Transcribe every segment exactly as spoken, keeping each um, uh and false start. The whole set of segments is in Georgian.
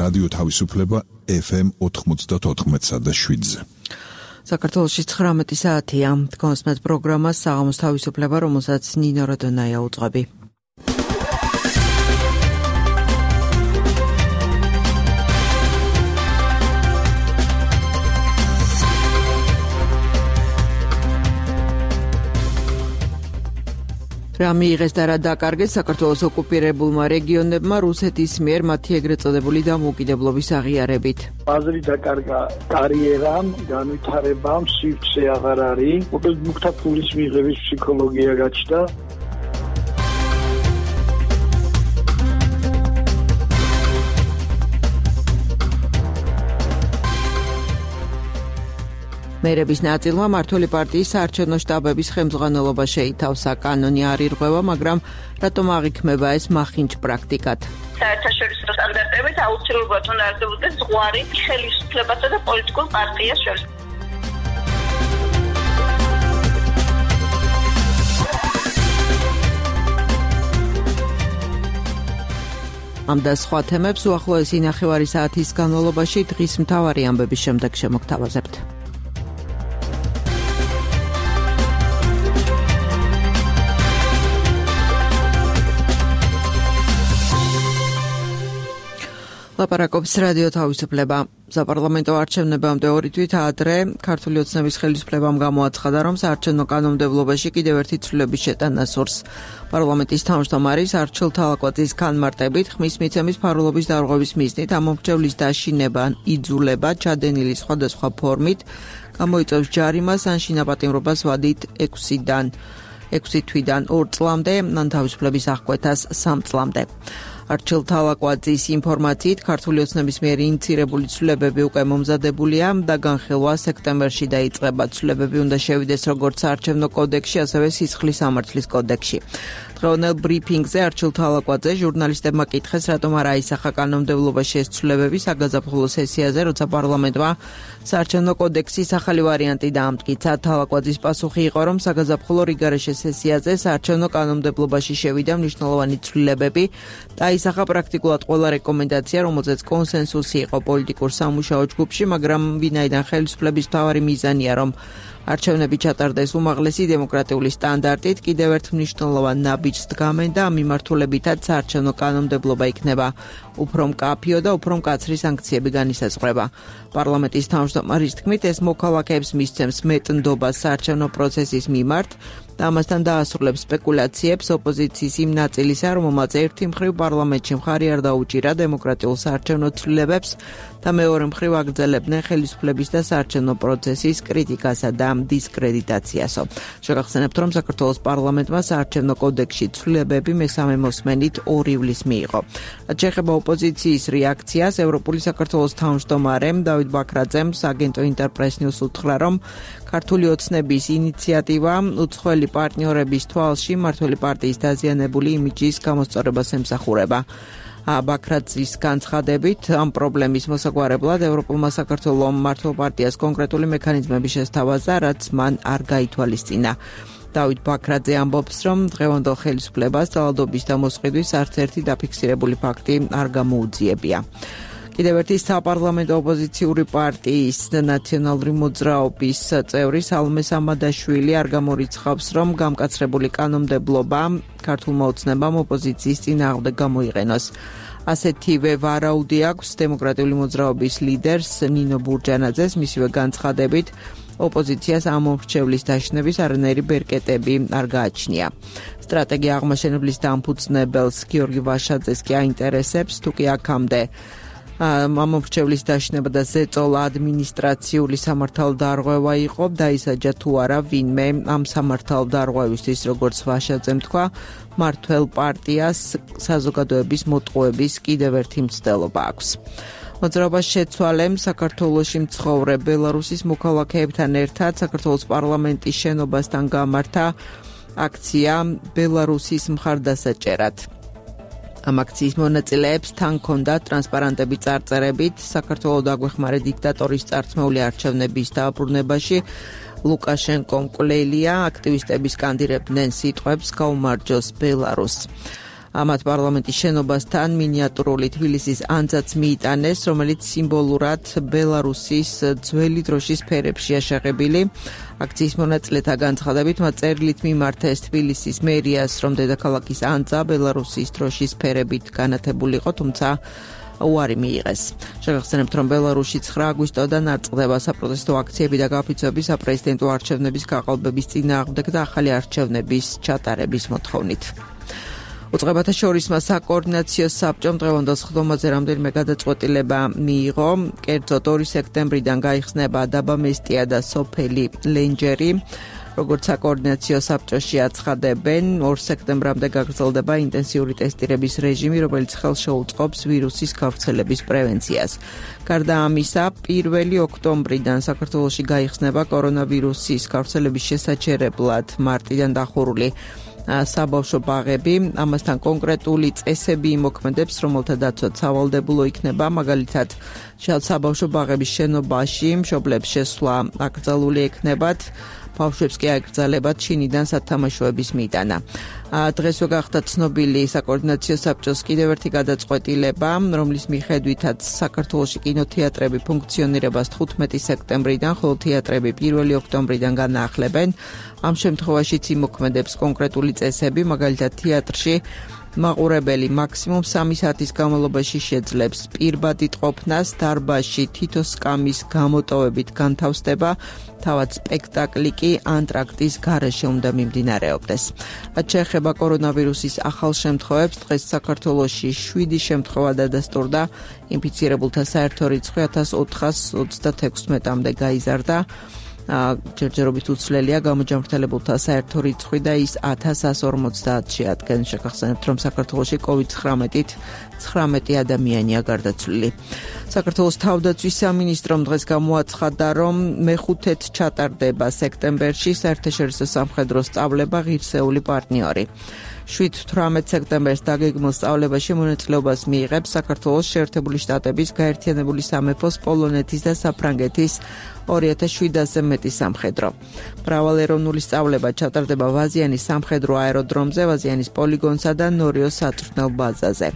რადიო თავისუფლება ეფ ემ ოთხმოცდაოთხ და შვიდზე. საქართველოში ცხრამეტი საათია. თქვენს პროგრამას საღამოს თავისუფლება, რომელსაც ნინო როდონაია უძღვები. რა მიიღეს და რა დაკარგეს საქართველოს ოკუპირებულმა რეგიონებმა რუსეთის მიერ მათი ეგრეთ წოდებული დამოუკიდებლობის აღიარებით. აზრი დაკარგა კარიერამ, განვითარებამ, სივრცე აღარ არის. მოკლედ მუქთა ფულის მიღების ფსიქოლოგია გაჩნდა. მერების ნაწილმა მმართველი პარტიის საარჩევნო შტაბების ხელმძღვანელობა შეითავსა. კანონი არ ირღვევა, მაგრამ რატომ აღიქმება ეს მახინჯ პრაქტიკად? საერთაშორისო სტანდარტებით აუცილებლად უნდა არსებობდეს ზღვარი ხელისუფლებასა და პოლიტიკურ პარტიას შორის. ამ და სხვა თემებს უახლოესი ნახევარი საათის განმავლობაში დღის მთავარი ამბების შემდეგ შემოგთავაზებთ. ლაპარაკობს რადიო თავისუფლება. საპარლამენტო არჩევნებამდე ორი თვით ადრე ქართული ოცნების ხელისუფლებამ გამოაცხადა, რომ საარჩევნო კანონმდებლობაში კიდევ ერთი ცვლილების შეტანა სურს. პარლამენტის თავმჯდომარის არჩილ თალაკვაძის განმარტებით, ხმის მიცემის ფარულობის დარღვევის მიზნით ამომრჩევლის დაშინება, იძულება, ჩადენილი სხვადასხვა ფორმით გამოიწვევს ჯარიმას ან შინაპატიმრობას ვადით ექვსიდან ექვსი თვიდან ორ წლამდე, ან თავისუფლების აღკვეთას სამ წლამდე. არჩილ თალაკვაძის ინფორმაციით, ქართული ოცნების მიერ ინიცირებული ცვლილებები უკვე მომზადებულია და განხილვა სექტემბერში დაიწყება. ცვლილებები უნდა შევიდეს როგორც საარჩევნო კოდექსში, ასევე სისხლის სამართლის კოდექსში. დღევანდელ ბრიფინგზე არჩილ თალაკვაძე ჟურნალისტებმა კითხეს, რატომ არ აისახა კანონმდებლობაში ეს ცვლილებები საგაზაფხულო სესიაზე, როცა პარლამენტმა საარჩევნო კოდექსის ახალი ვარიანტი დაამტკიცა. თალაკვაძის პასუხი იყო, რომ საგაზაფხულო რიგარეშე სესიაზე საარჩევნო კანონმდებლობაში შევიდა მნიშვნელოვანი ცვლილებები და აისახა პრაქტიკულად ყველა რეკომენდაცია, რომელზეც კონსენსუსი იყო პოლიტიკურ სამუშაო ჯგუფში, მაგრამ ვინაიდან ხელისუფლების მთავარი მიზანია, რომ არჩევნები ჩატარდეს უმაღლესი დემოკრატიული სტანდარტით, კიდევ ერთ მნიშვნელოვან ნაბიჯს დგამენ და ამ მიმართულებითაც საარჩევნო კანონმდებლობა იქნება უფრო მკაფიო და უფრო მკაცრი სანქციები განისაზღვრება. პარლამენტის თავმჯდომარის თქმით, ეს მოქალაქეებს მისცემს მეტ ნდობას საარჩევნო პროცესის მიმართ და ამასთან დაასრულებს სპეკულაციებს ოპოზიციის იმ ნაწილისა, რომელმაც ერთი მხრივ პარლამენტში მხარი არ დაუჭირა დემოკრატიულ საარჩევნო ცვლილებებს და მეორე მხრივ აგრძელებდნენ ხელისუფლების და საარჩევნო პროცესის კრიტიკასა და დისკრედიტაციასო. შეგახსენებთ, რომ საქართველოს პარლამენტმა საარჩევნო კოდექსში ცვლილებები მესამე მოსმენით ორი ივლისს მიიღო. რაც შეეხება ოპოზიციის რეაქციას, ევროპული საქართველოს თავმჯდომარემ დავით ბაქრაძემ აგენტო ინტერპრეს ნიუს უთხრა, რომ ქართული ოცნების ინიციატივა უცხოელი პარტნიორების თვალში მმართველი პარტიის დაზიანებული იმიჯის გამოსწორებას ემსახურება. ბაქრაძის განცხადებით, ამ პრობლემის მოსაგვარებლად ევროპულმა საქართველოს მმართველ პარტიას კონკრეტული მექანიზმები შესთავაზა, რაც მან არ გაითვალისწინა. დავით ბაქრაძე ამბობს, რომ დღევანდელ ხელისუფლებას ძალადობის და მოსყიდვის არც ერთი დაფიქსირებული ფაქტი არ გამოუძიებია. კიდევ ერთი საპარლამენტო ოპოზიციური პარტიის ნაციონალური მოძრაობის წევრი სალომე სამადაშვილი არ გამორიცხავს, რომ გამკაცრებული კანონმდებლობა ქართულმა ოცნებამ ოპოზიციის წინააღმდეგ გამოიყენოს. ასეთივე ვარაუდი აქვს დემოკრატიული მოძრაობის ლიდერს ნინო ბურჯანაძეს, მისივე განცხადებით, ოპოზიციას ამომრჩევლის დაშინების არანაირი ბერკეტები არ გააჩნია. სტრატეგია აღმაშენებლის დამფუძნებელს გიორგი ვაშაძეს კი აინტერესებს, თუ კი აქამდე ამომრჩევლის დაშინება და ზეწოლა ადმინისტრაციული სამართალდარღვევა იყო, დაისაჯა თუ არა ვინმე ამ სამართალდარღვევისთვის, როგორც ვაშაძემ თქვა, მმართველ პარტიას საზოგადოების მოტყუების კიდევ ერთი მცდელობა აქვს. მოძრაობას შეცვალემ საქართველოში მცხოვრებ ბელარუსის მოქალაქეებთან ერთად საქართველოს პარლამენტის შენობასთან გამართა აქცია ბელარუსის მხარდასაჭერად. ამ აქციის მონაწილეებს თან ჰქონდათ ტრანსპარანტები წარწერებით საქართველოს დაგვეხმარე დიქტატორის წარსმეული არჩევნების დააბრუნებაში ლუკაშენკომ კვლელია, აქტივისტები სკანდირებდნენ სიტყვებს გაუმარჯოს ბელარუსს. ამათ პარლამენტის შენობასთან მინიატურული თბილისის ანძაც მიიტანეს, რომელიც სიმბოლურად ბელარუსის ძველი დროშის ფერებშია შეღებილი. აქციის მონაწილეთა განცხადებით მათ წერილით მიმართეს თბილისის მერიას, რომ დედაქალაქის ანძა ბელარუსის დროშის ფერებით განათებული იყო, თუმცა უარი მიიღეს. შეგახსენებთ, რომ ბელარუსში ცხრა აგვისტოდან აწყდება საპროტესტო აქციები და გაფიცვები საპრეზიდენტო არჩევნების გაყალბების წინააღმდეგ და ახალი არჩევნების ჩატარების მოთხოვნით. უწყებათა შორისმა საკოორდინაციო საბჭომ დღევანდელ სხდომაზე რამდენიმე გადაწყვეტილება მიიღო. კერძოდ ორი სექტემბრიდან გაიხსნება დაბა მესტია და სოფელი ლენჯერი. როგორც საკოორდინაციო საბჭოში აცხადებენ, ორ სექტემბრამდე გაგრძელდება ინტენსიური ტესტირების რეჟიმი, რომელიც ხელს შეუწყობს ვირუსის გავრცელების პრევენციას. გარდა ამისა, პირველი ოქტომბრიდან საქართველოში გაიხსნება კორონავირუსის გავრცელების შესაჩერებლად მარტიდან დახურული საბავშვო ბაღები. ამასთან კონკრეტული წესები იმოქმედებს, რომელთა დაცვა სავალდებულო იქნება, მაგალითად, საბავშვო ბაღების შენობაში მშობლებს შესვლა აკრძალული ექნებათ, ბავშვებს კი აეკრძალებათ ჩინიდან სათამაშოების მიტანა. დღესვე გახდა ცნობილი საკოორდინაციო საბჭოს კიდევ ერთი გადაწყვეტილება, რომლის მიხედვითაც საქართველოში კინოთეატრები ფუნქციონირებას თხუთმეტი სექტემბრიდან, ხოლო თეატრები პირველი ოქტომბრიდან განაახლებენ. ამ შემთხვევაშიც იმოქმედებს კონკრეტული წესები, მაგალითად თეატრში მაყურებელი მაქსიმუმ სამი საათის განმავლობაში შეძლებს პირბადით ყოფნას, დარბაზში თითო სკამის გამოტოვებით განთავსდება, თავად სპექტაკლი კი ანტრაქტის გარეშე უნდა მიმდინარეობდეს. რაც შეეხება კორონავირუსის ახალ შემთხვევებს, დღეს საქართველოში შვიდი შემთხვევა დადასტურდა, ინფიცირებულთა საერთო რიცხვი ათას ოთხას ოცდათექვსმეტამდე გაიზარდა. ჯერჯერობით უცვლელია გამოჯანმრთელებულთა საერთო რიცხვი და ის ათას ასს ორმოცდაათში ადგენს. შეგახსენებთ, რომ საქართველოში კოვიდ ცხრამეტით ცხრამეტი ადამიანია გარდაცვლილი. საქართველოს თავდაცვის სამინისტრომ დღეს გამოაცხადა, რომ მეხუთედ ჩატარდება სექტემბერში საერთაშორისო სამხედრო სწავლება ღირსეული პარტნიორი. შვიდ თვრამეტ სექტემბერს დაგეგმილ სწავლებაში მონაწილეობას მიიღებს საქართველოს შეერთებული შტატების, გაერთიანებული სამეფოს, პოლონეთის და საფრანგეთის ორი ათას შვიდასზე მეტი სამხედრო. მრავალეროვნული სწავლება ჩატარდება ვაზიანის სამხედრო აეროდრომზე, ვაზიანის პოლიგონსა და ნორიოს საწვრთნელ ბაზაზე.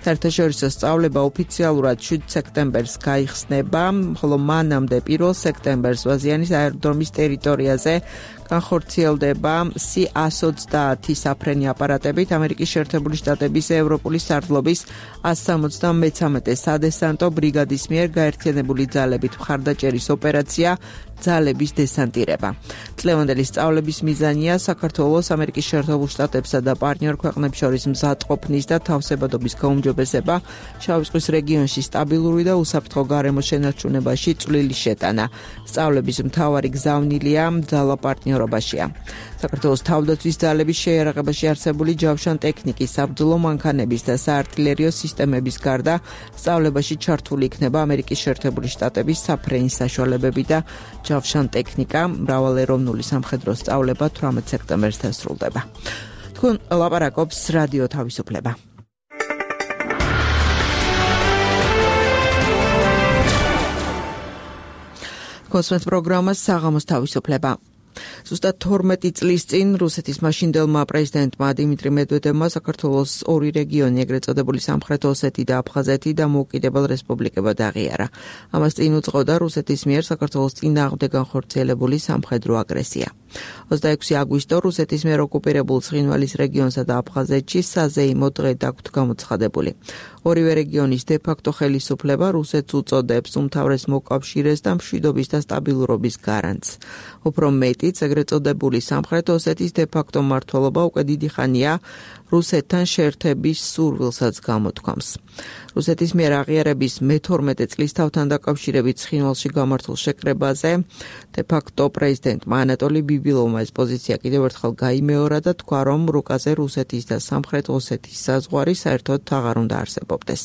საერთაშორისო სწავლება ოფიციალურად შვიდ სექტემბერს გაიხსნება, ხოლო მანამდე პირველ სექტემბერს ვაზიანის აეროდრომის ტერიტორიაზე განხორციელდება სი ას ოცდაათი საფრენი აპარატებით ამერიკის შეერთებული შტატების ევროპული სარდლობის ას სამოცდამეცამეტე სადესანტო ბრიგადის მიერ გაერთიანებული ძალებით მხარდაჭერის ოპერაცია ძალების დესანტირება. წლევანდელი სწავლების მიზანია საქართველოს, ამერიკის შეერთებულ შტატებსა და პარტნიორ ქვეყნებს შორის მზადყოფნის და თავსებადობის გაუმჯობესება, შავი ზღვის რეგიონში სტაბილური და უსაფრთხო გარემო შენარჩუნებაში წვლილი შეტანა. სწავლების მთავარი გზავნილია ძალა პარტნიორობაშია. საქართველოს თავდაცვის ძალების შეიარაღებაში არსებული ჯავშან ტექნიკის, საბრძოლო მანქანების და საარტილერიო სისტემების გარდა სწავლებაში ჩართული იქნება ამერიკის შეერთებული შტატების საფრენის საშუალებები და ჯავშან ტექნიკა. მრავალეროვნული სამხედრო სწავლება თვრამეტ სექტემბერს დასრულდება. თქვენ ლაპარაკობს რადიო თავისუფლება. კონსმეთ პროგრამა საღამოს თავისუფლება. ზუსტად თორმეტი წლის წინ რუსეთის მაშინდელმა პრეზიდენტმა დიმიტრი მედვედევმა საქართველოს ორი რეგიონი, ეგრეთ წოდებული სამხრეთ ოსეთი და აფხაზეთი დამოუკიდებელ რესპუბლიკებად აღიარა. ამას წინ უძღოდა რუსეთის მიერ საქართველოს წინააღმდეგ განხორციელებული სამხედრო აგრესია. ოცდაექვსი აგვისტო რუსეთის მიერ ოკუპირებულ ცხინვალის რეგიონსა და აფხაზეთში საზეიმო დღე დაგვთ გამოცხადებული. ორივე რეგიონის დე-ფაქტო ხელისუფლება რუსეთს უწოდებს უმთავრეს მოკავშირეს და მშვიდობის და სტაბილურობის გარანტს. უფრო მეტიც, ეგრეთ წოდებული სამხრეთ ოსეთის დე-ფაქტო მმართველობა უკვე დიდი ხანია რუსეთთან შეერთების სურვილსაც გამოთქვამს. რუსეთის მიერ აღიარების მეთორმეტე წლის თავთან დაკავშირებით ცხინვალში გამართულ შეკრებაზე დე-ფაქტო პრეზიდენტმა ანატოლი ბიბილოვმა ეს პოზიცია კიდევ ერთხელ გაიმეორა და თქვა, რომ რუკაზე რუსეთის და სამხრეთ ოსეთის საზღვარი საერთოდ აღარ უნდა არსებობდეს.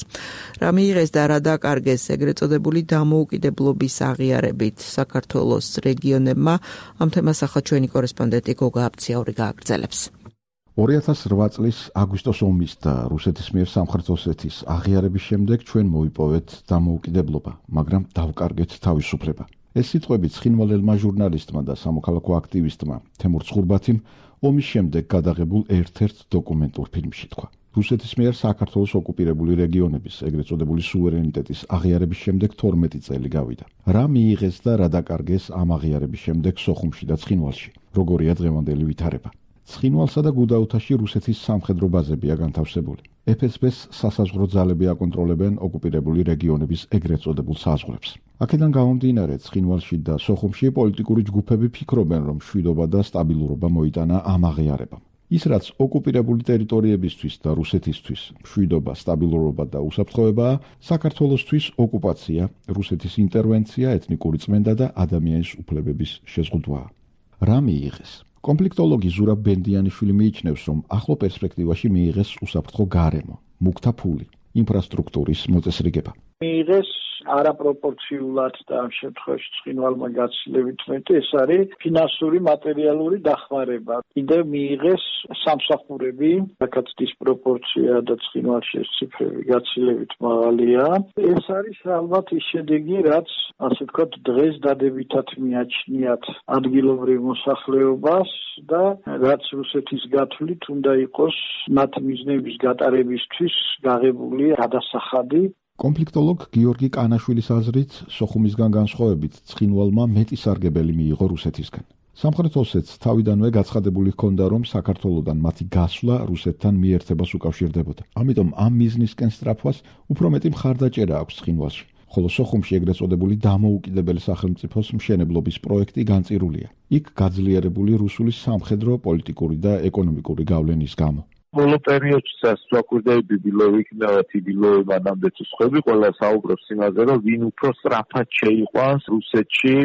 რა მიიღეს და რა დაკარგეს ეგრეთ წოდებული დამოუკიდებლობის აღიარებით საქართველოს რეგიონებმა, ამ თემას ახლა ჩვენი კორესპონდენტი გოგა აბციაური გააგრძელებს. ორი ათას რვა წლის აგვისტოს ომის და რუსეთის მიერ სამხრეთ ოსეთის აღიარების შემდეგ ჩვენ მოვიპოვეთ დამოუკიდებლობა, მაგრამ დავკარგეთ თავისუფლება. ეს სიტყვები ცხინვალელმა ჟურნალისტმა და სამოქალაქო აქტივისტმა თემურ ცხურბათიმ ომის შემდეგ გადაღებულ ერთ-ერთ დოკუმენტურ ფილმში თქვა. რუსეთის მიერ საქართველოს ოკუპირებული რეგიონების, ეგრეთ წოდებული სუვერენიტეტის აღიარების შემდეგ თორმეტი წელი გავიდა. რა მიიღეს და რა დაკარგეს ამ აღიარების შემდეგ სოხუმში და ცხინვალში? როგორია დღევანდელი ვითარება? ცხინვალსა და გუდაუთაში რუსეთის სამხედრო ბაზებია განთავსებული. ეფ ეს ბეს სასაზღვრო ძალები აკონტროლებენ ოკუპირებული რეგიონების ეგრეთ წოდებულ საზღვრებს. აქედან გამომდინარე, ცხინვალში და სოხუმში პოლიტიკური ჯგუფები ფიქრობენ, რომ მშვიდობა და სტაბილურობა მოიტანა ამ აღიარებამ. ის რაც ოკუპირებული ტერიტორიებისთვის და რუსეთისთვის მშვიდობა, სტაბილურობა და უსაფრთხოებაა, საქართველოსთვის ოკუპაცია, რუსეთის ინტერვენცია, ეთნიკური წმენდა და ადამიანის უფლებების შეზღუდვაა. რა მიიღეს? კონფლიქტოლოგი ზურაბ ბენდიანიშვილი მიიჩნევს, რომ ახლო პერსპექტივაში მიიღეს უსაფრთხო გარემო, მუქთა ფული, ინფრასტრუქტურის მოწესრიგება. მიიღეს არაპროპორციულად და ამ შემთხვევაში ცხინვალმა გაცილებით მეტი, ეს არის ფინანსური, მატერიალური დახმარება. კიდევ მიიღეს სამსახურები, რაკაც დისპროპორცია და ცხინვალში ეს ციფრები გაცილებით მაღალია. ეს არის ალბათ ის შედეგი, რაც ასე ვთქვათ, დღეს დადებითად მიაჩნიათ ადგილობრივ მოსახლეობას და რაც რუსეთის გათვლით უნდა იყოს მათი მიზნების გატარებისთვის გაღებული გადასახადი. კონფლიქტოლოგ გიორგი კანაშვილის აზრით, სოხუმისგან განსხვავებით, ცხინვალმა მეტი სარგებელი მიიღო რუსეთისგან. სამხრეთ ოსეთს თავიდანვე გაცხადებული ჰქონდა, რომ საქართველოდან მათი გასვლა რუსეთთან მიერთებას უკავშირდებოდა. ამიტომ ამ მიზნისკენ სწრაფვას უფრო მეტი მხარდაჭერა აქვს ცხინვალში. ხოლო სოხუმში ეგრეთ წოდებული დამოუკიდებელი სახელმწიფოს მშენებლობის პროექტი განწირულია. იქ გაძლიერებული რუსული სამხედრო, პოლიტიკური და ეკონომიკური გავლენის გამო. ბოლო პერიოდში საკვირდები ბილოვი იქნება თიბილოვი მანამდე თუ სხვები ყველა საუბრობს იმაზე, რომ ვინ უფრო სწრაფად შეიყვანს რუსეთში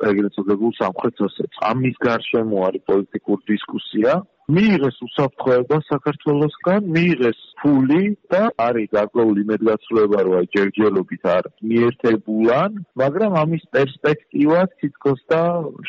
ეგრეთ წოდებულ სამხრეთ ოსეთს. ამის გარშემო არის პოლიტიკური დისკუსია. მიიღეს უსაფრთხოება საქართველოსგან, მიიღეს ფული და არის გარკვეული იმედგაცრუება, რომ აი ჯერჯერობით არ მიერთებულან, მაგრამ ამის პერსპექტივა თითქოს და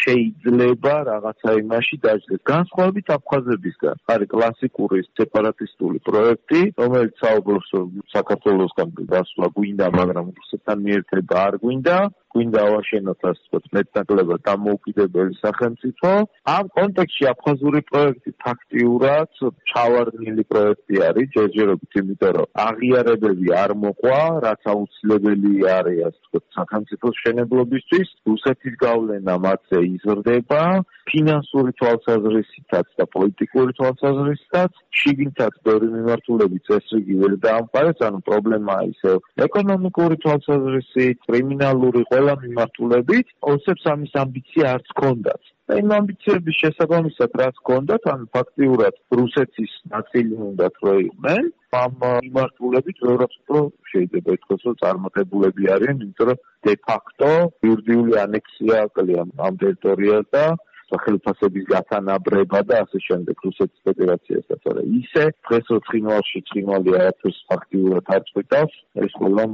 შეიძლება რაღაცა იმაში დაჯდეს. განსხვავებით აფხაზებისგან არის კლასიკური სეპარატისტული პროექტი, რომელიც საუბრობს, რომ საქართველოსგან გასვლა გვინდა, მაგრამ რუსეთთან მიერთება არ გვინდა. გვინდა ავაშენოთ ასე ვთქვათ მეტნაკლებად დამოუკიდებელი სახელმწიფო. ამ კონტექსტში აფხაზური პროექტი ფაქტიურად ჩავარდნილი პროექტი არის ჯერჯერობით, იმიტომ რომ აღიარებები არ მოყვა, რაც აუცილებელი არის ასე ვთქვათ სახელმწიფოს მშენებლობისთვის. რუსეთის გავლენა მათზე იზრდება, ფინანსური თვალსაზრისითაც და პოლიტიკური თვალსაზრისითაც. შიგნითაც ბევრი მიმართულებით წესრიგი ვერ დაამყარეს, ანუ პრობლემაა ისევ ეკონომიკური თვალსაზრისით, კრიმინალური ყველა მიმართულებით, ოსებს ამის ამბიცია არც ჰქონდათ. იმ ამბიციების შესაბამისად რაც ჰქონდათ, ანუ ფაქტიურად რუსეთის ნაწილი უნდათ რო იყვნენ, ამ მიმართულებით ბევრად უფრო შეიძლება ითქვას, რომ წარმატებულები არიან, იმიტომ რომ დე ფაქტო იურიდიული ანექსია აკლია ამ ტერიტორიას და სახელმწიფოების გათანაბრება და ასე შემდეგ რუსეთის ფედერაციასაც. არა ისე დღეს რო ცხინვალში ცხინვალი არაფერს ფაქტიურად არ წვეთავს, ეს ყველა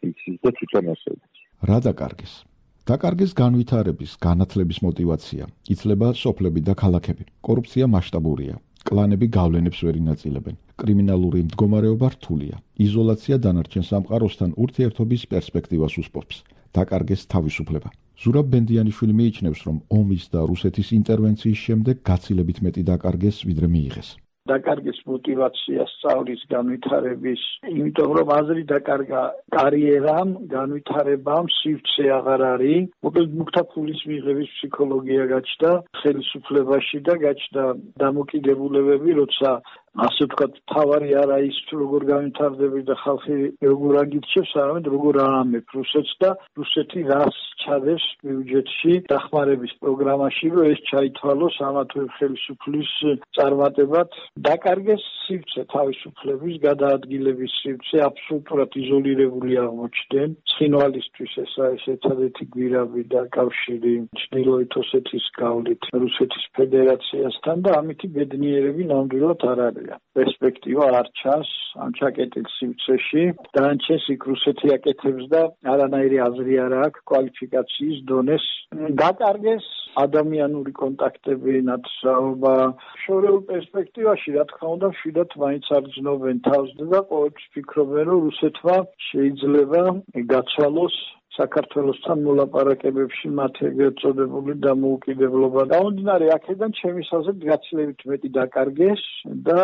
იცის და თვითონ ასეც. რა დაკარგეს? დაკარგეს განვითარების, განათლების მოტივაცია, იცლება სოფლები და ქალაქები. კორუფცია მასშტაბურია. კლანები გავლენებს ვერ ინაწილებენ. კრიმინალური მდგომარეობა რთულია. იზოლაცია დანარჩენ სამყაროსთან ურთიერთობის პერსპექტივას უსპობს. დაკარგეს თავისუფლება. ზურაბ ბენდიანიშვილი მიიჩნევს, რომ ომის და რუსეთის ინტერვენციის შემდეგ გაცილებით მეტი დაკარგეს, ვიდრე მიიღეს. დაკარგეს мотивация სწავლის განვითარების, იმიტომ რომ აზრი დაკარგა კარიერამ, განვითარებამ, სივრცე აღარ არის. მოკლედ მუქთა ფულის მიღების ფსიქოლოგია გაჩნდა ხელისუფლებაში და გაჩნდა დამოკიდებულებები, როცა ასე ვთქვათ, თავარი არა ის როგორ განვითარდები და ხალხი როგორ აგირჩევს, არამედ როგორ აამებ რუსეთს და რუსეთი რას ჩადებს ბიუჯეტში დახმარების პროგრამაში, რომ ეს ჩაითვალოს ამა თუ ხელისუფლის წარმატებად. დაკარგეს სივრცე თავისუფლების, გადაადგილების სივრცე, აბსოლუტურად იზოლირებული აღმოჩნდნენ. ცხინვალისთვის ეს არის ერთადერთი გვირაბი და კავშირი ჩრდილოეთ ოსეთის გავლით რუსეთის ფედერაციასთან და ამითი ბედნიერები ნამდვილად არ არის. პერსპექტივა არ ჩანს ამ ჩაკეტილ სივრცეში. დანარჩენს იქ რუსეთი აკეთებს და არანაირი აზრი არ აქვს კვალიფიკაციის დონეს. დაკარგეს ადამიანური კონტაქტები, ნათესაობა. შორეულ პერსპექტივაში, რა თქმა უნდა, მშვიდად მაინც არ გრძნობენ თავს და ყოველთვის ფიქრობენ, რომ რუსეთმა შეიძლება გაცვალოს საქართველოსთან მოლაპარაკებებში მათ ეგრეთ წოდებული დამოუკიდებლობა. გამომდინარე აქედან ჩემი აზრით გაცილებით მეტი დაკარგეს და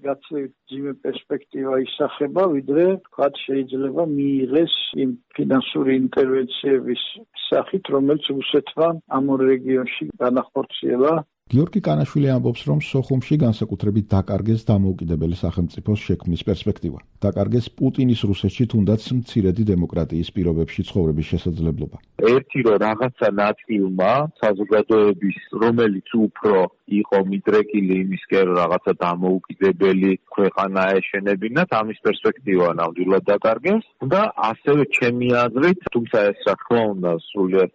გაცილებით ძიმე პერსპექტივა ისახება, ვიდრე თქვათ შეიძლება მიიღეს იმ ფინანსური ინტერვენციების სახით, რომელიც რუსეთმა ამ ორ რეგიონში განახორციელა. გიორგი კანაშვილი ამბობს, რომ სოხუმში განსაკუთრებით დაკარგეს დამოუკიდებელი სახელმწიფოს შექმნის პერსპექტივა. დაკარგეს პუტინის რუსეთში თუნდაც მცირედი დემოკრატიის პირობებში ცხოვრების შესაძლებლობა. ერთი რომ რაღაცა ნაწილმა საზოგადოების, რომელიც უფრო იყო მიდრეკილი იმისკენ, რომ რაღაცა დამოუკიდებელი ქვეყანა აეშენებინათ, ამის პერსპექტივა ნამდვილად დაკარგეს და ასევე ჩემი აზრით, თუმცა ეს რა თქმა უნდა სრულიად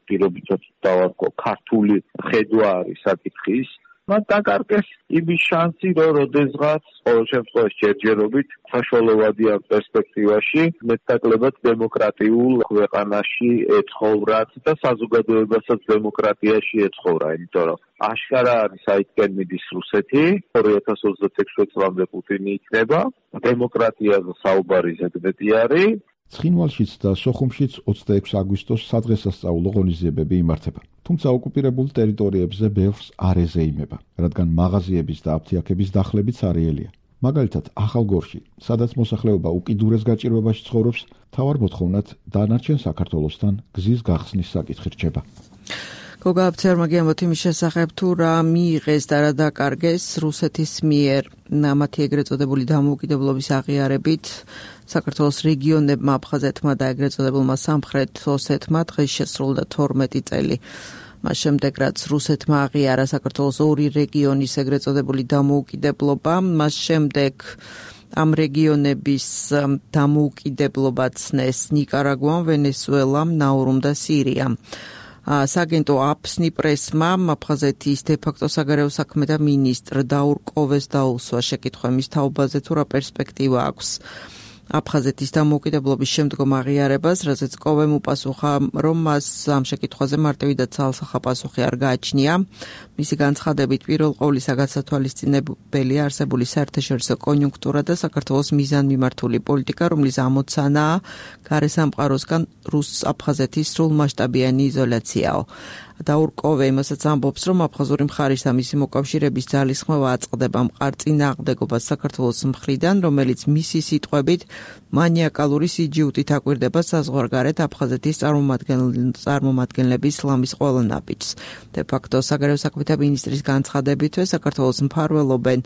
პირობითად დავარქვა ქართული ხედვა არის საკითხის, მათ დაკარგეს იმის შანსი, რომ როდესღაც ყოველ შემთხვევაში ჯერჯერობით საშუალებადიან პერსპექტივაში მეტნაკლებად დემოკრატიულ ქვეყანაში ეცხოვრათ და საზოგადოებასაც დემოკრატიაში ეცხოვრა, იმიტომ რომ აშკარა არის საითკენ მიდის რუსეთი, ორი ათას ოცდაექვსი წლამდე პუტინი იქნება, დემოკრატიაზე საუბარი ზედმეტი არის. ცხინვალშიც და სოხუმშიც ოცდაექვსი აგვისტოს სადღესასწაულო ღონისძიებები იმართება. თუმცა ოკუპირებულ ტერიტორიებზე ბევრს არ ეზეიმება, რადგან მაღაზიების და აფთიაქების დახლებიც არეელია. მაგალითად, ახალგორში, სადაც მოსახლეობა უკიდურეს გაჭირვებაში ცხოვრობს, მთავარ მოთხოვნად დანარჩენ საქართველოსთან გზის გახსნის საკითხი რჩება. გოგა აფცერმა გიამბობთ იმის შესახებ, თუ რა მიიღეს და რა დაკარგეს რუსეთის მიერ მათი ეგრეთ წოდებული დამოუკიდებლობის აღიარებით საქართველოს რეგიონებმა, აფხაზეთმა და ეგრეთ წოდებულმა სამხრეთ ოსეთმა დღეს შესრულდა თორმეტი წელი. მას შემდეგ, რაც რუსეთმა აღიარა საქართველოს ორი რეგიონის ეგრეთ წოდებული დამოუკიდებლობა, მას შემდეგ ამ რეგიონების დამოუკიდებლობა ცნეს ნიკარაგუამ, ვენესუელამ, ნაურუმ და სირიამ. სააგენტო აფსნი პრესმა აფხაზეთის დე-ფაქტო საგარეო საქმეთა მინისტრ დაურ კოვეს დაუსვა შეკითხვა მის თაობაზე თუ რა პერსპექტივა აქვს აფხაზეთის დამოუკიდებლობის შემდგომ აღიარებას, რაზეც კოვემ უპასუხა, რომ მას ამ შეკითხვაზე მარტივი და ცალსახა პასუხი არ გააჩნია. მისი განცხადებით, პირველ ყოვლისა გასათვალისწინებელია არსებული საერთაშორისო კონიუნქტურა და საქართველოს მიზანმიმართული პოლიტიკა, რომლის ამოცანაა გარესამყაროსგან რუს-აფხაზეთის სრულმასშტაბიანი იზოლაციაო. დაურ კოვე იმასაც ამბობს, რომ აფხაზური მხარის და მისი მოკავშირეების ძალისხმევა აწყდება მყარ წინააღმდეგობას საქართველოს მხრიდან, რომელიც მისი სიტყვებით მანიაკალური სიჯიუტით აკვირდება საზღვარგარეთ აფხაზეთის წარმომადგენლების ისლამის ყველა ნაბიჯს. დე-ფაქტო საგარეო საქმეთა მინისტრის განცხადებითვე საქართველოს მფარველობენ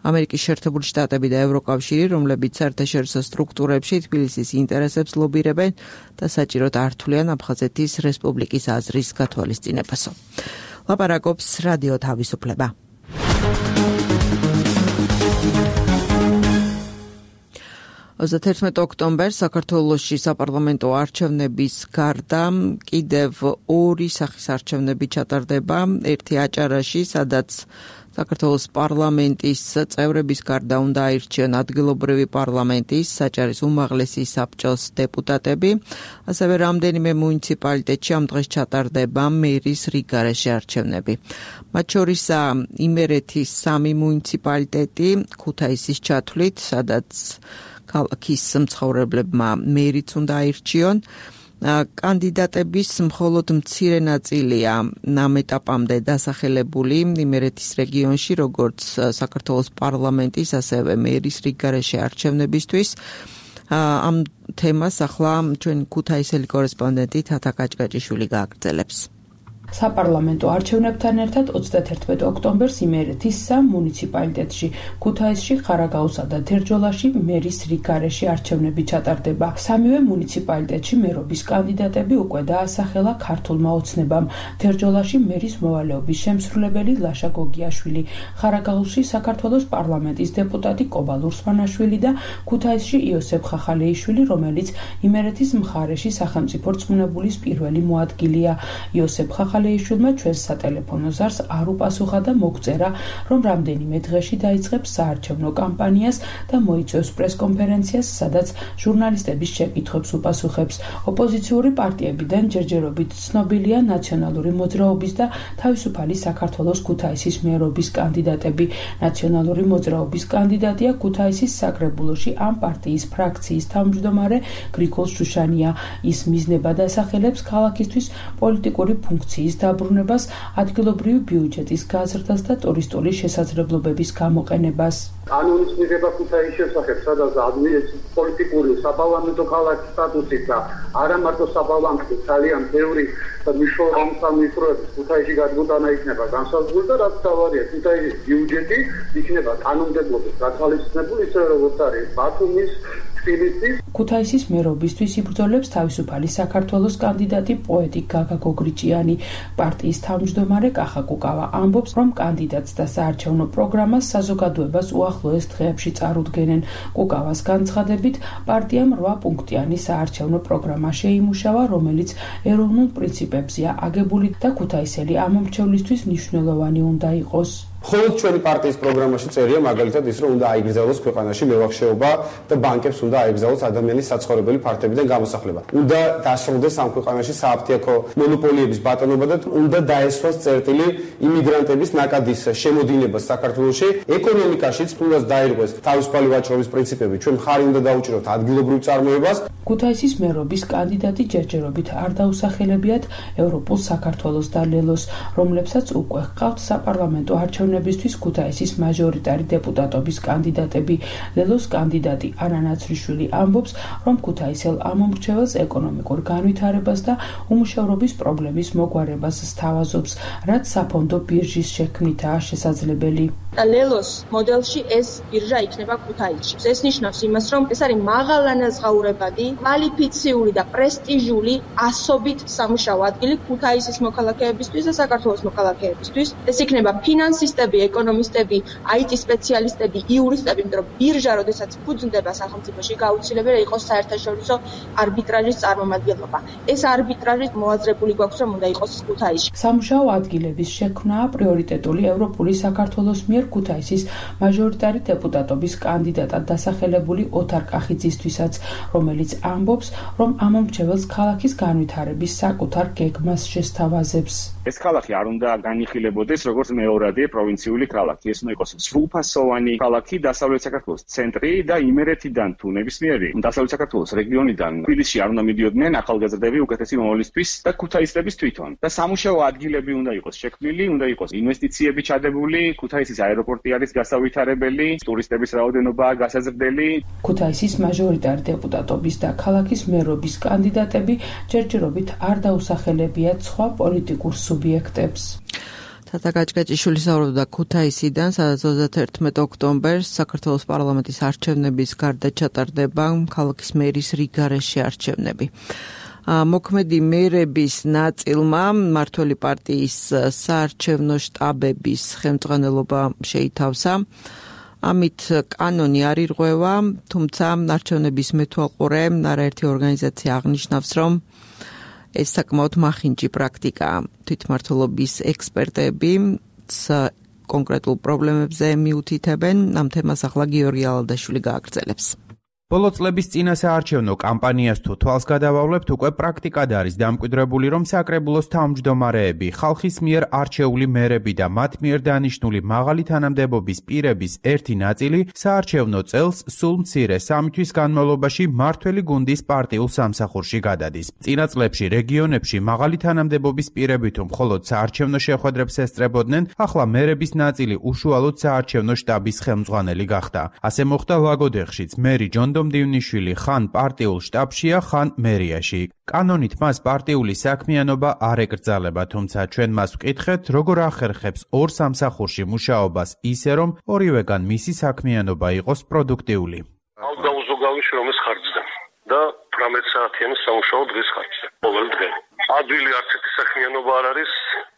ამერიკის შეერთებული შტატები და ევროკავშირი, რომლებიც საერთაშორისო სტრუქტურებში თბილისის ინტერესებს ლობირებენ და საჭიროდ ართულიან აფხაზეთის რესპუბლიკის აზრის გათვალისწინებას. ლაპარაკობს რადიო თავისუფლება. ოცდაათერთმეტი ოქტომბერს საქართველოში საპარლამენტო არჩევნების გარდა კიდევ ორი სახის არჩევნები ჩატარდება, ერთი აჭარაში, სადაც საქართველოს პარლამენტის წევრების გარდა უნდა აირჩიონ ადგილობრივი პარლამენტის, საჭარის უმაღლესი საბჭოს დეპუტატები, ასევე რამდენიმე მუნიციპალიტეტში ამ დღეს ჩატარდება მერის რიგგარეშე არჩევნები. მათ შორისაა იმერეთის სამი მუნიციპალიტეტი, ქუთაისის ჩათვლით, სადაც ქალაქის მცხოვრებლებმა მერიც უნდა აირჩიონ. კანდიდატების მხოლოდ მცირე ნაწილია ამ ეტაპამდე დასახელებული იმერეთის რეგიონში, როგორც საქართველოს პარლამენტის, ასევე მერის რიგგარეშე არჩევნებისთვის. ამ თემას ახლა ჩვენი ქუთაისელი კორესპონდენტი თათა კაჭკაჭიშვილი გააგრძელებს. საპარლამენტო არჩევნებთან ერთად ოცდაათერთმეტი ოქტომბერს იმერეთის სამ მუნიციპალიტეტში, ქუთაისში, ხარაგაულსა და თერჯოლაში მერის რიგგარეშე არჩევნები ჩატარდება. სამივე მუნიციპალიტეტში მერობის კანდიდატები უკვე დაასახელა ქართულმა ოცნებამ. თერჯოლაში მერის მოვალეობის შემსრულებელი ლაშა გოგიაშვილი, ხარაგაულში საქართველოს პარლამენტის დეპუტატი კობა ლურსმანაშვილი და ქუთაისში იოსებ ხახალეიშვილი, რომელიც იმერეთის მხარეში სახელმწიფო რწმუნებულის პირველი მოადგილეა. იოსებ ხახალეიშვილი კალეიშვილმა ჩვენს სატელეფონო ზარს არ უპასუხა და მოგწერა, რომ რამდენიმე დღეში დაიწყებს საარჩევნო კამპანიას და მოიწვევს პრესკონფერენციას, სადაც ჟურნალისტების შეკითხვებს უპასუხებს. ოპოზიციური პარტიებიდან ჯერჯერობით ცნობილია ნაციონალური მოძრაობის და თავისუფალი საქართველოს ქუთაისის მერობის კანდიდატები. ნაციონალური მოძრაობის კანდიდატია ქუთაისის საკრებულოში ამ პარტიის ფრაქციის თავმჯდომარე გრიგოლ შუშანია. ის მიზნებად ასახელებს ქალაქისთვის პოლიტიკური ფუნქციის დაბრუნებას, ადგილობრივი ბიუჯეტის გაზრდას და ტურისტული შესაძლებლობების გამოყენებას. კანონის მიღება ქუთაისის შესახებ, სადაც ადმინისტრაციული პოლიტიკური საპარლამენტო ქალაქის სტატუსით და არა მარტო საპარლამენტო ძალიან ბევრი მნიშვნელოვანი სამსახურების ქუთაისში გადმოტანა იქნება განსაზღვრული და რაც თავარია ქუთაისის ბიუჯეტი იქნება კანონმდებლობის გათვალისწინებული, ისე როგორც არის ბათუმის, თბილისის. ქუთაისის მერობისთვის იბრძოლებს თავისუფალი საქართველოს კანდიდატი პოეტი გაგა გოგრიჭიანი. პარტიის თავმჯდომარე კახა კუკავა ამბობს, რომ კანდიდატს და საარჩევნო პროგრამას საზოგადოებას უახლოეს დღეებში წარუდგენენ. კუკავას განცხადებით, პარტიამ რვა პუნქტიანი საარჩევნო პროგრამა შეიმუშავა, რომელიც ეროვნულ პრინციპებზეა აგებული და ქუთაისელი ამომრჩევლისთვის მნიშვნელოვანი უნდა იყოს. მხოლოდ ჩვენი პარტიის პროგრამაში წერია მაგალითად ის, რომ უნდა აიგზავნოს ქვეყანაში მევახშეობა და ბანკებს უნდა აიგზავნოს ადამიანის საცხოვრებელი ფართებიდან გამოსახლება. უნდა დასრულდეს ამ ქვეყანაში სააფთიაქო მონოპოლიების ბატონობა და უნდა დაესვას წერტილი იმიგრანტების ნაკადის შემოდინებას საქართველოში. ეკონომიკაშიც თუნდაც დაირღვეს თავისუფალი ვაჭრობის პრინციპები. ჩვენ მხარი უნდა დაუჭიროთ ადგილობრივ წარმოებას. ქუთაისის მერობის კანდიდატი ჯერჯერობით არ დაუსახელებიათ ევროპულ საქართველოს და ლელოს, რომლებსაც უკვე ჰყავთ საპარლამენტო არჩევნებისთვის ქუთაისის მაჟორიტარი დეპუტატობის კანდიდატები. ლელოს კანდიდატი ანა ნაცრიშვილი ამბობს, რომ ქუთაისელ ამომრჩეველს ეკონომიკურ განვითარებას და უმუშევრობის პრობლემის მოგვარებას სთავაზობს, რაც საფონდო ბირჟის შექმნითაა შესაძლებელი. ლელოს მოდელში ეს ბირჟა იქნება ქუთაისში. ეს ნიშნავს იმას, რომ ეს არის მაღალანაზღაურებადი, კვალიფიციური და პრესტიჟული ასობით სამუშაო ადგილი ქუთაისის მოქალაქეებისთვის და საქართველოს მოქალაქეებისთვის. ეს იქნება ფინანსისტები, ეკონომისტები, აი ტი სპეციალისტები, იურისტები, იმიტომ რომ ბირჟა, როდესაც ფუძნდება სახელმწიფოში, გაუცილებელი იყოს საერთაშორისო არბიტრაჟის წარმომადგენლობა. ეს არბიტრაჟი მოაზრებული გვაქვს, რომ უნდა იყოს ქუთაისში. სამუშაო ადგილების შექმნაა პრიორიტეტული ევროპული საქართველოს მიერ ქუთაისის მაჟორიტარი დეპუტატობის კანდიდატად დასახელებული ოთარ კახიძისთვისაც, რომელიც ამბობს, რომ ამომრჩეველს ქალაქის განვითარების საკუთარ გეგმას შესთავაზებს. ეს ქალაქი არ უნდა განიხილებოდეს როგორც მეორადი პროვინციული ქალაქი. ეს უნდა იყოს სრულფასოვანი ქალაქი დასავლეთ საქართველოს ცენტრი და იმერეთიდან თუ ნებისმიერი დასავლეთ საქართველოს რეგიონიდან თბილისში არ უნდა მიდიოდნენ ახალგაზრდები უკეთესი მომავლისთვის და ქუთაისლების თვითონ. და სამუშაო ადგილები უნდა იყოს შექმნილი, უნდა იყოს ინვესტიციები ჩადებული, ქუთაისის აეროპორტი არის გასავითარებელი, ტურისტების რაოდენობაა გასაზრდელი. ქუთაისის მაჟორიტარი დეპუტატობის და ქალაქის მერობის კანდიდატები ჯერჯერობით არ დაუსახელებიათ სხვა პოლიტიკურ სუბიექტებს. თათა გაჭგაჭიშვილი საუბრობდა ქუთაისიდან, სადაც ოცდაათი ოქტომბერს საქართველოს პარლამენტის არჩევნების გარდა ჩატარდება ქალაქის მერის რიგარეში არჩევნები. მოქმედი მერების ნაწილმა მმართველი პარტიის საარჩევნო შტაბების ხელმძღვანელობა შეითავსა. ამით კანონი არ ირღვევა, თუმცა არჩევნების მეთვალყურე არაერთი ორგანიზაცია აღნიშნავს, რომ ეს საკმაოდ მახინჯი პრაქტიკაა. თვითმმართველობის ექსპერტები კონკრეტულ პრობლემებზე მიუთითებენ, ამ თემას ახლა გიორგი ალადაშვილი გააგრძელებს. ბოლო წლების წინა საარჩევნო კამპანიას თუ თვალს გადავავლებთ, უკვე პრაქტიკად არის დამკვიდრებული, რომ საკრებულოს თავმჯდომარეები, ხალხის მიერ არჩეული მერები და მათ მიერ დანიშნული მაღალი თანამდებობის პირების ერთი ნაწილი საარჩევნო წელს სულ მცირე სამი თვის განმავლობაში მმართველი გუნდის პარტიულ სამსახურში გადადის. წინა წლებში რეგიონებში მაღალი თანამდებობის პირები თუ მხოლოდ საარჩევნო შეხვედრებს ესწრებოდნენ, ახლა მერების ნაწილი უშუალოდ საარჩევნო შტაბის ხელმძღვანელი გახდა. ასე მოხდა ლაგოდეხშიც მერი ჯონ დივნიშვილი ხან პარტიულ შტაბშია, ხან მერიაში. კანონით მას პარტიული საქმიანობა არ ეკრძალება, თუმცა ჩვენ მას ვკითხეთ, როგორ ახერხებს ორ სამსახურში მუშაობას ისე, რომ ორივეგან მისი საქმიანობა იყოს პროდუქტიული. ამ დაუზოგავი შრომის ხარჯზე და თვრამეტ საათიანი სამუშაო დღის ხარჯზე. ყოველ დღე. ადვილი არც ერთი საქმიანობა არ არის,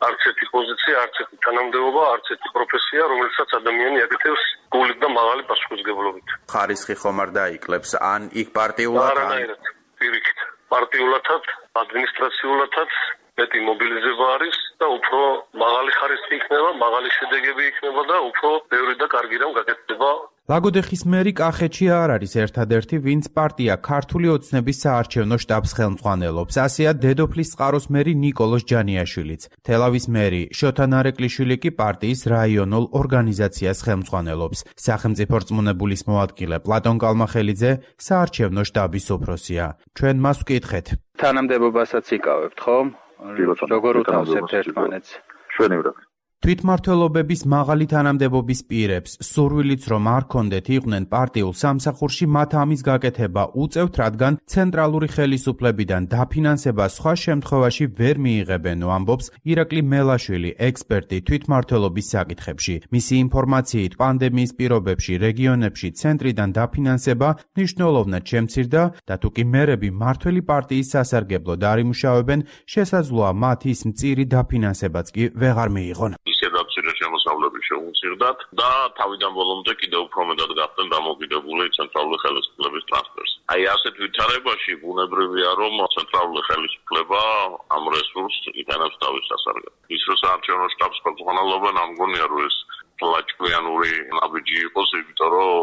არც ერთი პოზიცია, არც ერთი თანამდებობა, არც ერთი პროფესია, რომელსაც ადამიანი აკეთებს გულით და მაღალი პასუხისმგებლობით. ხარისხი ხომ არ დაიკლებს, ან იქ პარტიულად, არანაირად, პირიქით. პარტიულათაც, ადმინისტრაციულათაც, მეტი მობილიზება არის და უფრო მაღალი ხარისხი იქნება, მაღალი შედეგები იქნება და უფრო ბევრი და კარგი რამ გაკეთდება. ლაგოდეხის მერი კახეთში არ არის ერთადერთი, ვინც პარტია ქართული ოცნების საარჩევნო შტაბს ხელმძღვანელობს. ასეა დედოფლის წყაროს მერი ნიკოლოზ ჯანიაშვილიც. თელავის მერი შოთა ნარეკვლიშვილი კი პარტიის რაიონულ ორგანიზაციას ხელმძღვანელობს. სახელმწიფო რწმუნებულის მოადგილე პლატონ კალმახელიძე საარჩევნო შტაბის უფროსია. ჩვენ მას ვკითხეთ. თანამდებობასაც იკავებთ, ხო? როგორ უთავსებთ ერთმანეთს? ჩვენივრად. თვითმმართველობების მაღალი თანამდებობის პირებს სურვილიც რომ არ კონდეთ იყვნენ პარტიულ სამსახურში, მათ ამის გაკეთება უწევთ, რადგან ცენტრალური ხელისუფლებიდან დაფინანსება სხვა შემთხვევაში ვერ მიიღებენ, ამბობს ირაკლი მელაშვილი, ექსპერტი თვითმმართველობის საკითხებში. მისი ინფორმაციით, პანდემიის პირობებში რეგიონებში ცენტრიდან დაფინანსება მნიშვნელოვნად შემცირდა და თუ კი მერები მართველი პარტიის სასარგებლოდ არ იმუშავებენ, შესაძლოა მათ ის მწირი დაფინანსებაც კი ვეღარ მიიღონ. ისედაც შემოსავლები შეუწირდათ და თავიდან ბოლომდე კიდევ უფრო მეტად გახდნენ დამოკიდებული ცენტრალური ხელისუფლების ტრანსფერს. აი ასეთ ვითარებაში ბუნებრივია, რომ ცენტრალური ხელისუფლება ამ რესურსს იტანებს თავის სასარგებლოდ. ის რომ საარჩევნო შტაბს ხელმძღვანელობენ, ამ გონია რომ ეს ლაჭკვიანური ნაბიჯი იყოს, იმიტომ რომ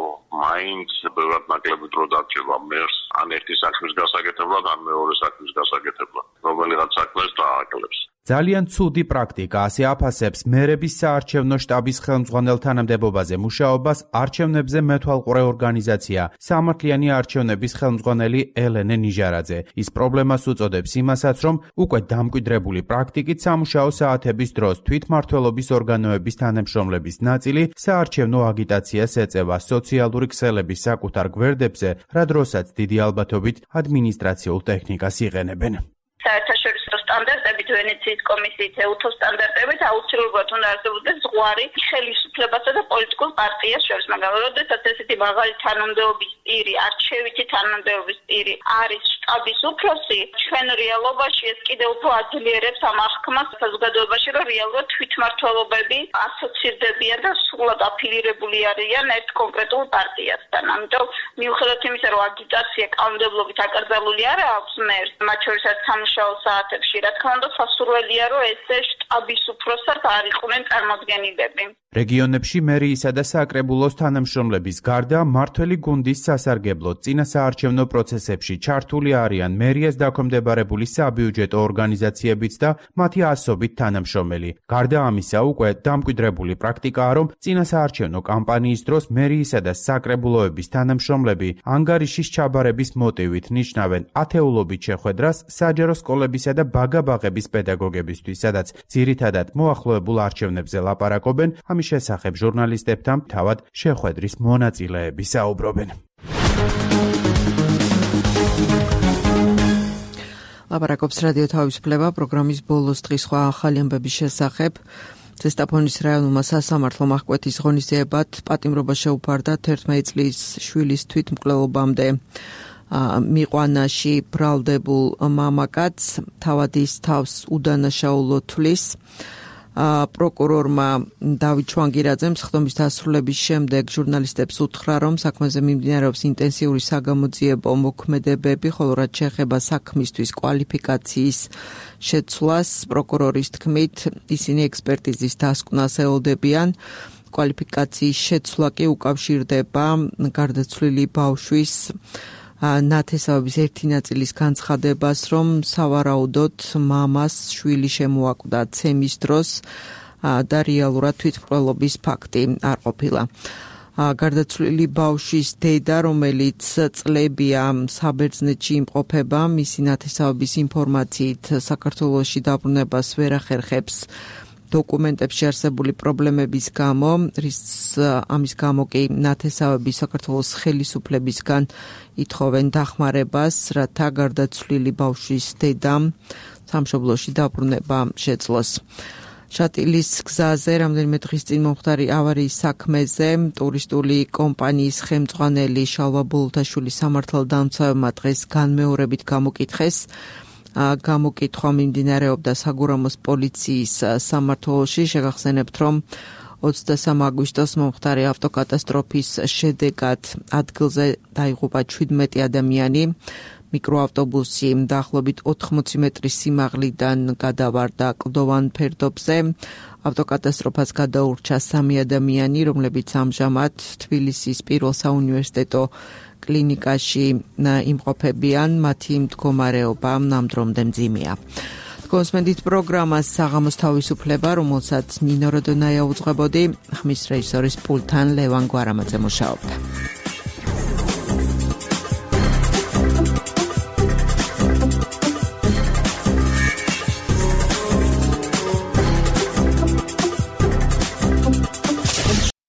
მაინც ბევრად ნაკლები დრო დარჩება მერს ან ერთი საქმის გასაკეთებლად, ან მეორე საქმის გასაკეთებლად, რომელიღაც საქმეს დააკლებს. ძალიან ცუდი პრაქტიკა, ასე აფასებს მერების საარჩევნო შტაბის ხელმძღვანელ თანამდებობაზე მუშაობას არჩევნებზე მეთვალყურე ორგანიზაცია სამართლიანი არჩევნების ხელმძღვანელი ელენე ნიჟარაძე. ის პრობლემას უწოდებს იმასაც, რომ უკვე დამკვიდრებული პრაქტიკით სამუშაო საათების დროს თვითმმართველობის ორგანოების თანამშრომლების ნაწილი საარჩევნო აგიტაციას ეწევა სოციალური ქსელების საკუთარ გვერდებზე, რა დროსაც დიდი ალბათობით ადმინისტრაციულ ტექნიკას იყენებენ. საერთაშორისო სტანდარტებით, ვენეციის კომისიის ეუთო სტანდარტებით აუცილებლად უნდა არსებობდეს ზღვარი ხელისუფლებასა და პოლიტიკურ პარტიას შორის, მაგრამ როდესაც ესეთი მაღალი თანამდებობის პირი, არჩევითი თანამდებობის პირი არის შტაბის უფროსი, ჩვენ რეალობაში ეს კიდევ უფრო აძლიერებს ამ აღქმას საზოგადოებაში, რომ რეალურად თვითმმართველობები ასოცირდებიან და სრულად აფილირებული არიან ერთ კონკრეტულ პარტიასთან. ამიტომ მიუხედავად იმისა, რომ აგიტაცია კანონმდებლობით აკრძალული არ აქვს მერს, მათ შორისაც სამუშაო საათებში, რა თქმა უნდა, სასურველია, რომ ესე შტაბის უფროსად არ იყვნენ წარმოდგენილები. რეგიონებში მერიისა და საკრებულოს თანამშრომლების გარდა მართველი გუნდის სასარგებლოდ წინა საარჩევნო პროცესებში ჩართული არიან მერიას დაქვემდებარებული საბიუჯეტო ორგანიზაციებიც და მათი ასობით თანამშრომელი. გარდა ამისა, უკვე დამკვიდრებული პრაქტიკაა, რომ წინა საარჩევნო კამპანიის დროს მერიისა და საკრებულოების თანამშრომლები ანგარიშის ჩაბარების მოტივით ნიშნავენ ათეულობით შეხვედრას საჯარო სკოლებისა და ბაგა-ბაღების პედაგოგებისთვის, სადაც ძირითადად მოახლოებულ არჩევნებზე ლაპარაკობენ. ამის შესახებ ჟურნალისტებთან თავად შეხვედრის მონაწილეები საუბრობენ. ლაპარაკობს რადიო თავისუფლება პროგრამის ბოლოს დღის სხვა ახალი ამბების შესახებ. ზესტაფონის რაიონულმა სასამართლომ აღკვეთის ღონისძიებად პატიმრობა შეუფარდა თერთმეტი წლის შვილის თვითმკვლელობამდე მიყვანაში ბრალდებულ მამაკაცს, თავად ის თავს უდანაშაულოდ თვლის. პროკურორმა დავით შვანგირაძემ სხდომის დასრულების შემდეგ ჟურნალისტებს უთხრა, რომ საქმეზე მიმდინარეობს ინტენსიური საგამოძიებო მოქმედებები, ხოლო რაც შეეხება საქმისთვის კვალიფიკაციის შეცვლას, პროკურორის თქმით, ისინი ექსპერტიზის დასკვნას ელოდებიან. კვალიფიკაციის შეცვლა კი უკავშირდება გარდაცვლილი ბავშვის ნათესავების ერთი ნაწილის განცხადებას, რომ სავარაუდოდ მამას შვილი შემოაკვდა ცემის დროს და რეალურად თვითმკვლელობის ფაქტი არ ყოფილა. გარდაცვლილი ბავშვის დედა, რომელიც წლებია საბერძნეთში იმყოფება, მისი ნათესავების ინფორმაციით საქართველოში დაბრუნებას ვერ ახერხებს დოკუმენტებში არსებული პრობლემების გამო, რის ამის გამო კი ნათესავები საქართველოს ხელისუფლებისგან ითხოვენ დახმარებას, რათა გარდაცვლილი ბავშვის დედამ სამშობლოში დაბრუნება შეძლოს. შატილის გზაზე რამდენიმე დღის წინ მომხდარი ავარიის საქმეზე ტურისტული კომპანიის ხელმძღვანელი შალვა ბოლოთაშვილი სამართალდამცავებმა დღეს განმეორებით გამოკითხეს. გამოკითხვა მიმდინარეობდა საგურამოს პოლიციის სამმართველოში. შეგახსენებთ, რომ ოცდასამი აგვისტოს მომხდარი ავტოკატასტროფის შედეგად ადგილზე დაიღუპა შვიდმეტი ადამიანი. მიკროავტობუსი დაახლოებით ოთხმოცი მეტრის სიმაღლიდან გადავარდა კლდოვან ფერდობზე. ავტოკატასტროფას გადაურჩა სამი ადამიანი, რომლებიც ამჟამად თბილისის პირველ საუნივერსიტეტო კლინიკაში იმყოფებიან, მათი მდგომარეობა ნამდვილად მძიმეა. კონსმენდით პროგრამას საღამოს თავისუფლება, რომელსაც ნინო როდონაია უძღვებოდი, ხმის რეჟისორის პულტთან ლევან გვარამაძე მუშაობდა.